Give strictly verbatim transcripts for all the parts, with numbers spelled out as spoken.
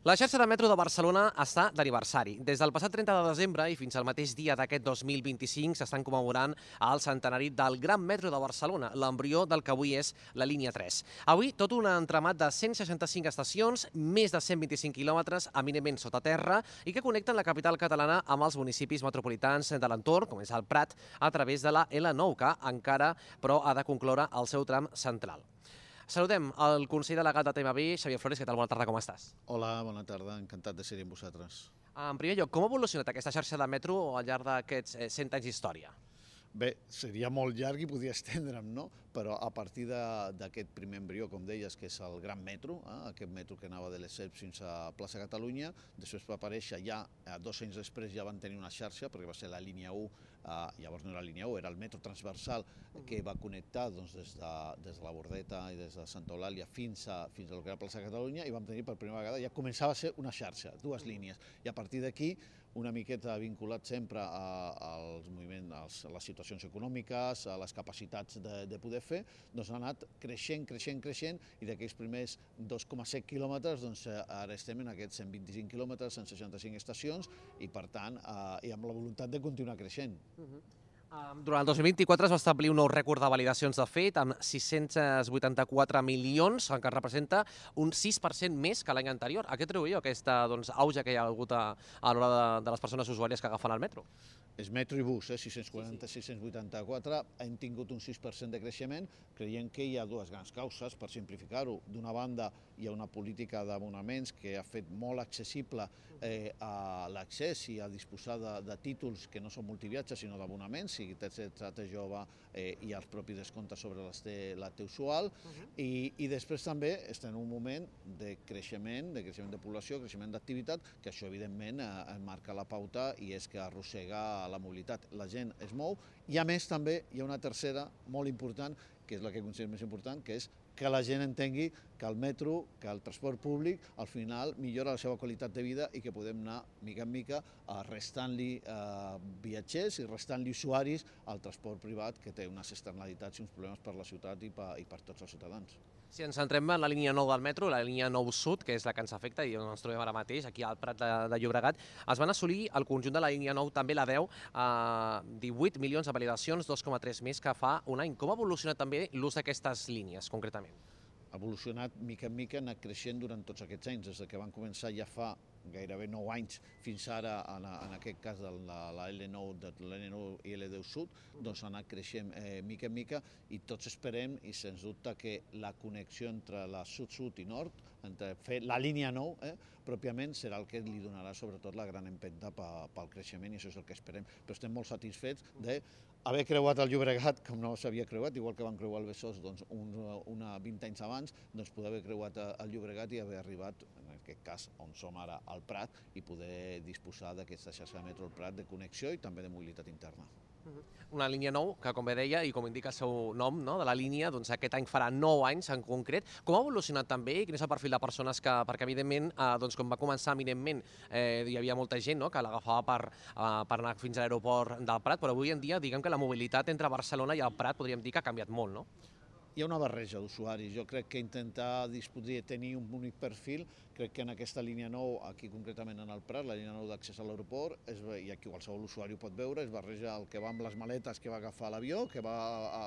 La xarxa de metro de Barcelona està d'aniversari. Des del passat trenta de desembre i fins al mateix dia d'aquest dos mil vint-i-cinc s'estan commemorant el centenari del Gran Metro de Barcelona, l'embrió del que avui és la línia tres. Avui, tot un entramat de cent seixanta-cinc estacions, més de cent vint-i-cinc quilòmetres, eminentment sota terra, i que connecten la capital catalana amb els municipis metropolitans de l'entorn, com és el Prat, a través de la L nou, que encara, però, ha de concloure el seu tram central. Saludem el conseller delegat de T M B, Xavier Flores. Què tal? Bona tarda, com estàs? Hola, bona tarda. Encantat de ser-hi amb vosaltres. En primer lloc, com ha evolucionat aquesta xarxa de metro al llarg d'aquests cent anys d'història? Bé, seria molt llarg i podria estendre'm, no? Però a partir d'aquest primer embrió, com deies, que és el Gran Metro, eh? aquest metro que anava de l'Esseps fins a Plaça Catalunya, després va aparèixer ja, dos anys després ja van tenir una xarxa, perquè va ser la línia u, eh, llavors no era la línia u, era el metro transversal que va connectar doncs, des, de, des de la Bordeta i des de Santa Eulàlia fins a, fins a lo que era Plaça Catalunya, i vam tenir per primera vegada, ja començava a ser una xarxa, dues línies, i a partir d'aquí una miqueta vinculat sempre als moviments, a les situacions econòmiques, a les capacitats de, de poder fer, doncs ha anat creixent, creixent, creixent, i d'aquells primers dos coma set quilòmetres, doncs ara estem en aquests cent vint-i-cinc quilòmetres, cent seixanta-cinc estacions, i per tant, eh, i amb la voluntat de continuar creixent. Uh-huh. Durant el dos mil vint-i-quatre es va establir un nou rècord de validacions de fet, amb sis-cents vuitanta-quatre milions, que representa un sis per cent més que l'any anterior. A què atribuïu aquesta doncs, auge que hi ha hagut a, a l'hora de, de les persones usuàries que agafen el metro? És metro i bus, eh? sis-cents quaranta, sis-cents vuitanta-quatre, hem tingut un sis per cent de creixement, creiem que hi ha dues grans causes, per simplificar-ho. D'una banda, hi ha una política d'abonaments que ha fet molt accessible eh, a l'accés i a disposar de, de títols que no són multiviatges, sinó d'abonaments, sigui T Z T jove eh, i els propis descomptes sobre la T usual, uh-huh. I, i després també estem en un moment de creixement, de creixement de població, creixement d'activitat, que això evidentment eh, marca la pauta i és que arrossega la mobilitat. La gent es mou i a més també hi ha una tercera molt important, que és la que considero més important, que és que la gent entengui que el metro, que el transport públic, al final millora la seva qualitat de vida i que podem anar mica en mica restant-li eh, viatgers i restant-li usuaris al transport privat, que té unes externalitats i uns problemes per la ciutat i per, i per tots els ciutadans. Si ens centrem en la línia nou del metro, la línia nou sud, que és la que ens afecta i on ens trobem ara mateix, aquí al Prat de, de Llobregat, es van assolir al conjunt de la línia nou, també la deu, a divuit milions de validacions, dos coma tres més que fa un any. Com ha evolucionat també l'ús d'aquestes línies, concretament? Ha evolucionat mica en mica, ha anat creixent durant tots aquests anys, des que van començar ja fa gairebé nou anys fins ara, en, en aquest cas de la, la L nou, de l'L nou i L deu Sud, doncs ha anat creixent eh, mica en mica i tots esperem, i sens dubte, que la connexió entre la sud-sud i nord, entre fer la línia nou, eh, pròpiament serà el que li donarà sobretot la gran empenta pel creixement, i això és el que esperem. Però estem molt satisfets d'haver creuat el Llobregat, com no s'havia creuat, igual que van creuar el Besòs doncs, un, una vint anys abans, doncs poder haver creuat el Llobregat i haver arribat, en aquest cas, on som ara, al Prat, i poder disposar d'aquesta xarxa de metro al Prat de connexió i també de mobilitat interna. Una línia nou que, com bé deia, i com indica el seu nom, no, de la línia, doncs aquest any farà nou anys en concret. Com ha evolucionat també i quin és el perfil de persones que, perquè evidentment, eh, doncs, com va començar eminentment, eh, hi havia molta gent, no, que l'agafava per, eh, per anar fins a l'aeroport del Prat, però avui en dia, diguem que la mobilitat entre Barcelona i el Prat podríem dir que ha canviat molt, no? Hi ha una barreja d'usuaris. Jo crec que intentar discutir, tenir un únic perfil, crec que en aquesta línia nou, aquí concretament en el Prat, la línia nou d'accés a l'aeroport, i aquí qualsevol usuari ho pot veure, es barreja el que va amb les maletes que va agafar a l'avió, que va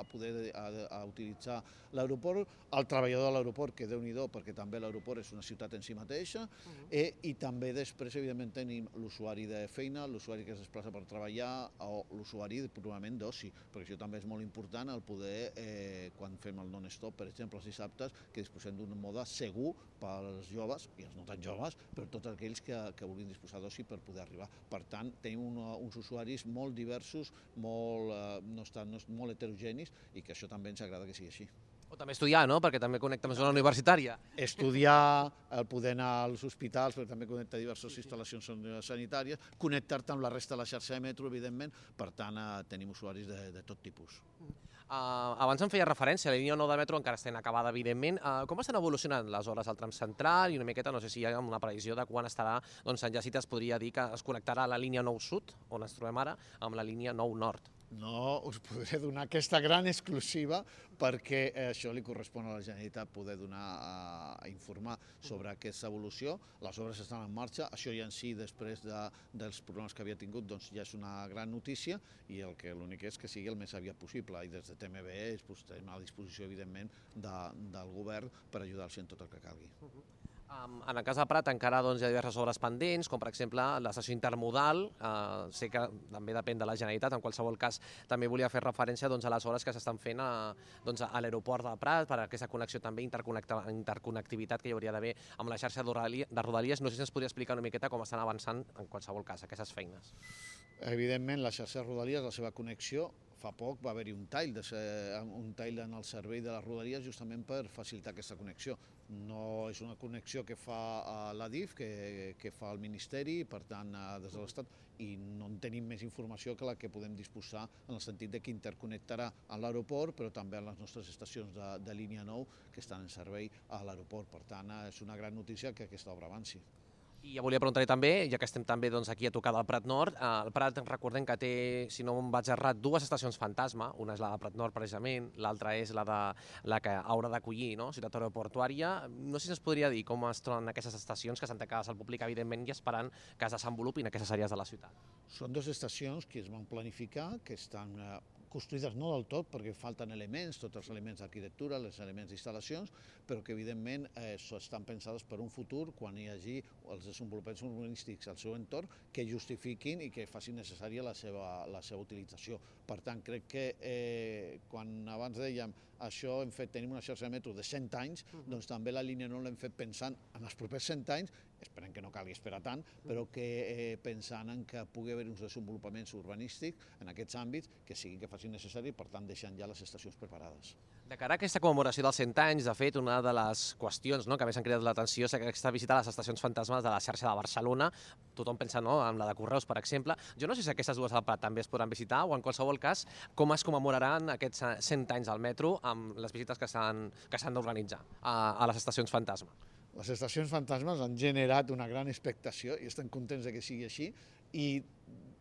a poder a, a utilitzar l'aeroport, el treballador de l'aeroport, que déu-n'hi-do, perquè també l'aeroport és una ciutat en si mateixa, uh-huh. eh, i també després, evidentment, tenim l'usuari de feina, l'usuari que es desplaça per treballar, o l'usuari purament d'oci, perquè això també és molt important, el poder, eh, quan fem el non-stop, per exemple, els dissabtes, que disposem d'un mode segur pels joves, i els no tan joves, però tots aquells que, que vulguin disposar d'oci per poder arribar. Per tant, tenim un, uns usuaris molt diversos, molt, eh, no estan, no, molt heterogenis, i que això també ens agrada que sigui així. O també estudiar, no?, perquè també connecta amb zona universitària. Estudiar, el poder anar als hospitals, perquè també connecta diverses instal·lacions sanitàries, connectar-te amb la resta de la xarxa de metro, evidentment, per tant, eh, tenim usuaris de, de tot tipus. Uh, abans em feia referència a la línia nou de metro, encara està inacabada, evidentment. Uh, com estan evolucionant les hores al tram central i una miqueta, no sé si hi ha una previsió de quan estarà, doncs en Jacint es podria dir que es connectarà la línia nou sud, on ens trobem ara, amb la línia nou nord? No us podré donar aquesta gran exclusiva perquè això li correspon a la Generalitat poder donar, a informar sobre aquesta evolució. Les obres estan en marxa, això ja en si, després de, dels problemes que havia tingut, doncs ja és una gran notícia i el que l'únic és que sigui el més aviat possible. I des de T M B estem a disposició, evidentment, de, del govern per ajudar-los en tot el que calgui. Um, en el cas de Prat encara doncs, hi ha diverses obres pendents, com per exemple l'estació intermodal. Uh, sé que també depèn de la Generalitat, en qualsevol cas també volia fer referència doncs, a les obres que s'estan fent a, doncs, a l'aeroport de Prat, per aquesta connexió també, interconnectivitat que hi hauria d'haver amb la xarxa de Rodalies. No sé si ens podria explicar una miqueta com estan avançant en qualsevol cas aquestes feines. Evidentment, la xarxa de Rodalies, la seva connexió, fa poc va haver-hi un tall, de ser, un tall en el servei de les Rodalies justament per facilitar aquesta connexió. No és una connexió que fa la D I F, que, que fa el Ministeri, per tant, des de l'Estat, i no en tenim més informació que la que podem disposar en el sentit de que interconnectarà a l'aeroport, però també a les nostres estacions de, de línia nou que estan en servei a l'aeroport. Per tant, és una gran notícia que aquesta obra avanci. I ja volia preguntar-li també, ja que estem també doncs, aquí a tocar del Prat Nord, eh, el Prat recordem que té, si no em vaig errat, dues estacions fantasma, una és la de Prat Nord precisament, l'altra és la, de, la que haurà d'acollir, no? Ciutat aeroportuària. No sé si ens podria dir com es troben aquestes estacions que estan tancades al públic, evidentment, i esperant que es desenvolupin aquestes àrees de la ciutat. Són dues estacions que es van planificar, que estan eh, construïdes no del tot, perquè falten elements, tots els elements d'arquitectura, els elements d'instal·lacions, però que evidentment eh, estan pensades per un futur quan hi hagi els desenvolupaments urbanístics al seu entorn que justifiquin i que facin necessària la seva, la seva utilització. Per tant, crec que eh, quan abans dèiem això hem fet, tenim una xarxa de metro de cent anys, doncs també la línia nou l'hem fet pensant en els propers cent anys, esperem que no calgui esperar tant, però que eh, pensant en que pugui haver uns desenvolupaments urbanístics en aquests àmbits que siguin que facin necessari i per tant deixant ja les estacions preparades. De cara a aquesta commemoració dels cent anys, de fet, una de les qüestions no, que més han cridat l'atenció és aquesta visita a les estacions fantasmes de la xarxa de Barcelona. Tothom pensa no, en la de Correus, per exemple. Jo no sé si aquestes dues al Prat també es podran visitar o, en qualsevol cas, com es commemoraran aquests cent anys al metro amb les visites que s'han d'organitzar a, a les estacions fantasma. Les estacions fantasmes han generat una gran expectació i estem contents de que sigui així i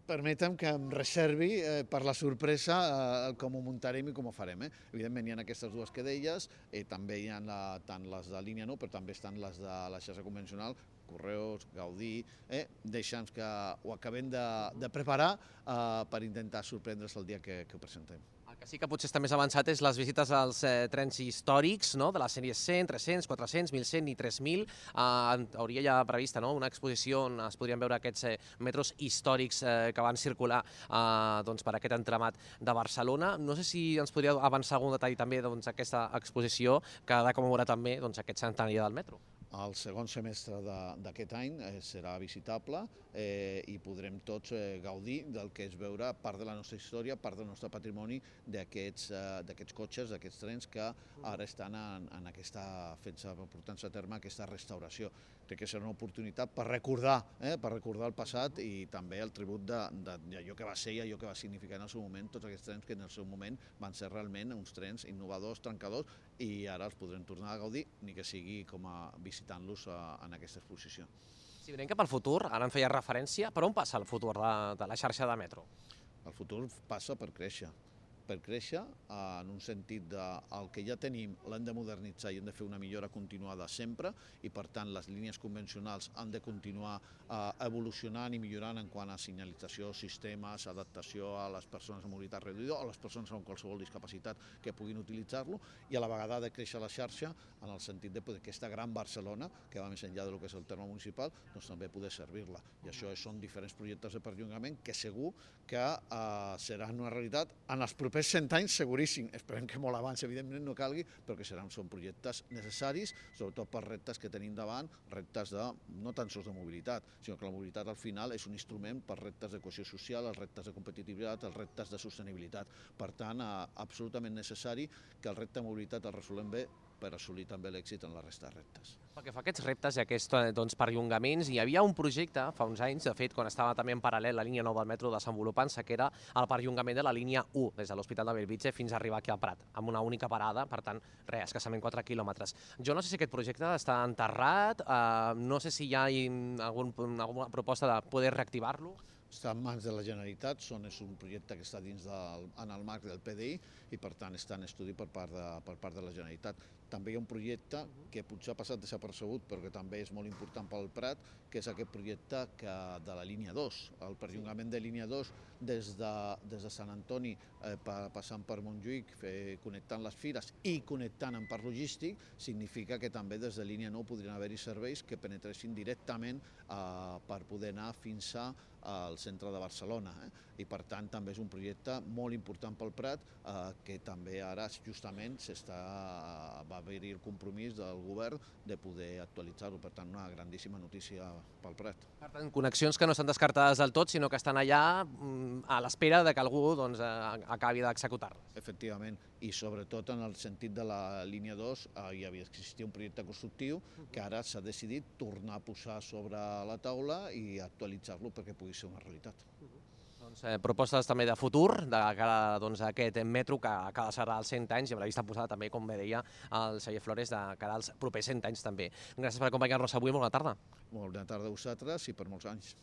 permetem que em reservi eh, per la sorpresa eh, com ho muntarem i com ho farem. Eh? Evidentment hi ha aquestes dues que deies, eh, també hi ha la, tant les de línia nou, però també estan les de la xarxa convencional, Correus, Gaudí, eh? deixa'ns que ho acabem de, de preparar eh, per intentar sorprendre's el dia que, que ho presentem. El que sí que potser està més avançat és les visites als eh, trens històrics, no? De les sèries cent, tres-cents, quatre-cents, mil cent i tres mil. Eh, hauria ja prevista no? una exposició on es podrien veure aquests eh, metros històrics eh, que van circular eh, doncs, per aquest entramat de Barcelona. No sé si ens podria avançar algun detall també doncs, aquesta exposició que ha de commemorar també doncs, aquest centenari del metro. El segon semestre d'aquest any eh, serà visitable eh, i podrem tots eh, gaudir del que és veure part de la nostra història, part del nostre patrimoni d'aquests eh, cotxes, d'aquests trens que ara estan en, en aquesta, fent-se, portant-se a terme aquesta restauració. Crec que serà una oportunitat per recordar, eh, per recordar el passat i també el tribut d'allò que va ser i allò que va significar en el seu moment, tots aquests trens que en el seu moment van ser realment uns trens innovadors, trencadors, i ara els podrem tornar a gaudir, ni que sigui com a visitant-los en aquesta exposició. Si mirem cap al futur, ara en feia referència, per on passa el futur de, de la xarxa de metro? El futur passa per créixer, per créixer en un sentit de el que ja tenim l'hem de modernitzar i hem de fer una millora continuada sempre i per tant les línies convencionals han de continuar evolucionant i millorant en quant a senyalització, sistemes, adaptació a les persones amb mobilitat reduïda o a les persones amb qualsevol discapacitat que puguin utilitzar-lo i a la vegada de créixer la xarxa en el sentit de que aquesta gran Barcelona, que va més enllà del que és el terme municipal, doncs també poder servir-la. I això són diferents projectes de perllongament que segur que eh, seran una realitat en els propers cent anys seguríssim. Esperem que molt abans, evidentment, no calgui, però que seran, són projectes necessaris, sobretot per reptes que tenim davant, reptes de, no tan sols de mobilitat, sinó que la mobilitat al final és un instrument per reptes de cohesió social, els reptes de competitivitat, els reptes de sostenibilitat. Per tant, eh, absolutament necessari que el repte de mobilitat el resolem bé per assolir també l'èxit en la resta de reptes. Pel que fa a aquests reptes i aquests doncs, perllongaments, hi havia un projecte fa uns anys, de fet, quan estava també en paral·lel la línia nou del metro desenvolupant-se, que era el perllongament de la línia u, des de l'Hospital de Bellvitge fins a arribar aquí al Prat, amb una única parada, per tant, res, escassament quatre quilòmetres. Jo no sé si aquest projecte està enterrat, eh, no sé si hi ha algun, alguna proposta de poder reactivar-lo. està en mans de la Generalitat, són, és un projecte que està dins del, en el marc del P D I i per tant està en estudi per part de, per part de la Generalitat. També hi ha un projecte que potser ha passat desapercebut però que també és molt important pel Prat, que és aquest projecte que, de la línia dos, el perllongament de línia dos des de, des de Sant Antoni eh, passant per Montjuïc, eh, connectant les fires i connectant amb parc logístic, significa que també des de línia nou podrien haver-hi serveis que penetressin directament eh, per poder anar fins al centre de Barcelona. Eh? I per tant també és un projecte molt important pel Prat eh, que també ara justament s'està, va haver-hi el compromís del govern de poder actualitzar-ho. Per tant, una grandíssima notícia pel Prat. Per tant, connexions que no estan descartades del tot, sinó que estan allà a l'espera de que algú doncs, acabi d'executar-les. Efectivament, i sobretot en el sentit de la línia dos eh, hi havia existit un projecte constructiu que ara s'ha decidit tornar a posar sobre la taula i actualitzar-lo perquè pugui ser una realitat. Doncs, eh, propostes també de futur, de cara doncs, a aquest metro que acaba de ser als cent anys i amb la vista posada també, com bé deia el Xavier Flores, de cara als propers cent anys també. Gràcies per acompanyar-nos avui, molt bona tarda. Molt bona tarda a vosaltres i per molts anys.